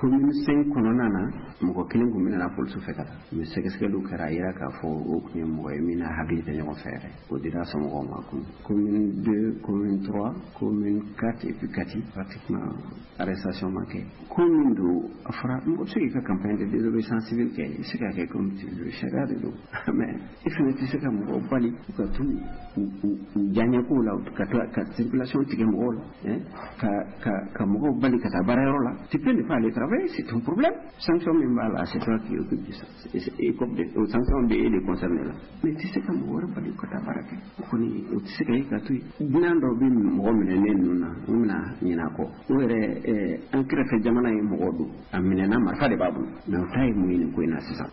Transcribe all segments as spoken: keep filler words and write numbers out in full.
Commune cinq kɔnɔna na, mɔgɔ kelen tun minɛna polisiw fɛ ka taa, mais sɛgɛsɛgɛliw kɛra, a yira k'a fɔ o tun ye mɔgɔ ye min n'a hakili tɛ ɲɔgɔn fɛ yɛrɛ. O dira somɔgɔw ma kun. Commune deux, commune trois, commune quatre et puis Kati, pratiquement arrestation ma kɛ. Ko min don, a fɔra mɔgɔ bɛ se k'i ka campagne de désobéissance civile kɛ, i bɛ se k'a kɛ comme tu veux, sariya de don, mais i fana tɛ se ka mɔgɔw bali u ka t'u u diyaɲɛkow la, ka tila ka circulation tigɛ mɔgɔw la, ka ka ka mɔgɔw bali ka taa baarayɔrɔ la. Tu peux ne pas aller travailler, c'est ton problème. Sanction min b'a la, c'est toi qui occupe de ça, et comme o sanction bɛ e de concerné la, mais i tɛ se ka mɔgɔ wɛrɛ bali ka taa baara kɛ. O kɔni, o tɛ se ka ye ka to yen. Dunan dɔw bɛ mɔgɔ minɛnen ninnu na, u bɛna ɲinɛ a kɔ. O yɛrɛ, an kɛrɛfɛ jamana ye mɔgɔ don, a minɛna, marifa de b'a bolo, mais o ta ye mun ye nin ko in na sisan?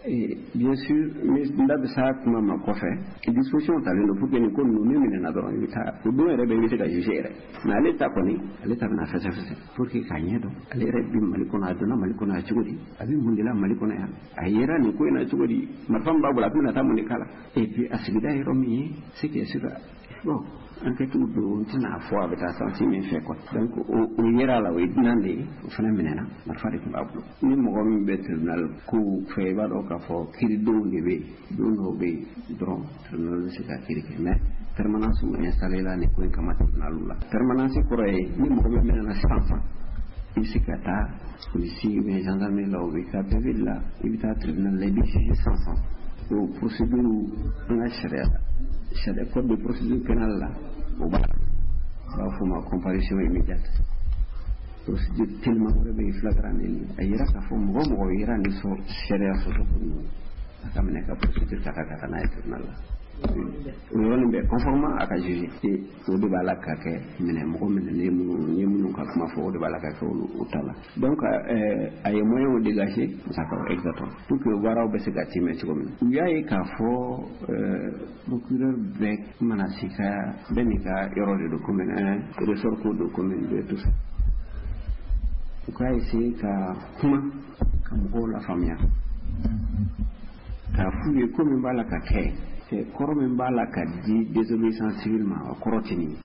Bien sûr, n da bɛ s'a kuma ma kɔfɛ. Disposition talen don pour que nin ko ninnu, min minɛna dɔrɔn, i bɛ taa, o don yɛrɛ bɛ, i bɛ se ka juger yɛrɛ. Mais ale ta kɔni, ale ta bɛna fɛsɛfɛsɛ pour que k'a ɲɛ dɔn, ale yɛrɛ bɛ Mali kɔnɔ, a donna Mali kɔnɔ a cogo di, a bɛ mun de la Mali kɔnɔ yan, a yera nin ko in na cogo di, marifa min b'a bolo, a bɛna taa mun de k'a la, et puis a sigida yɔrɔ min ye, c'est que sûr, bon, enquête don, n tɛna fɔ a bɛ taa sens min fɛ quoi. Donc o yera la, o ye dunan de ye, o fana minɛna, marifa de tun b'a bolo. Ni mɔgɔ min bɛ tribunal kow fɛ, i b'a dɔn k'a fɔ kiiridenw de bɛ yen. Don dɔw bɛ yen dɔrɔn, tribunal bɛ se ka kiiri kɛ, mais permanence installé la nin ko in kama tribunal la. Permanence kɔrɔ ye, ni mɔgɔ min minɛna sisan sisan, i bɛ se ka taa polisi ou bien gendarmerie la, o bɛ ka P V la, i bɛ taa tribunal la, i bɛ juger sisan sisan. O procédure, an ka sariya la, sariya code de procédure pénale la, o b'a la, u b'a fɔ o ma comparution immédiate. Procédure teliman wɛrɛ bɛ yen, flagrant délit. A yira k'a fɔ mɔgɔ mɔgɔ yera nin sariya sɔsɔ ko ninnu, a ka minɛ ka procédure ka taa ka taa n'a ye tribunal la, o yɔrɔnin bɛɛ, conformément a ka juger. Et o de b'a la ka kɛ minɛ, mɔgɔ minɛnen minnu n ye minnu ka kuma fɔ, o de b'a la ka kɛ olu o ta la. Donc a ye moyens dégager, d'accord, exactement, pour que baaraw bɛ se ka timɛ cogo min na. U y'a ye k'a fɔ procureur bɛɛ mana s'i ka, bɛɛ n'i ka yɔrɔ de don, commune un ressort ko don, commune deux, tout ça. U k'a essayer ka kuma ka mɔgɔw lafaamuya, k'a f'u ye ko min b'a la ka kɛ, kɔrɔ min b'a la ka di désobéissance civile ma, o kɔrɔ tɛ nin ye.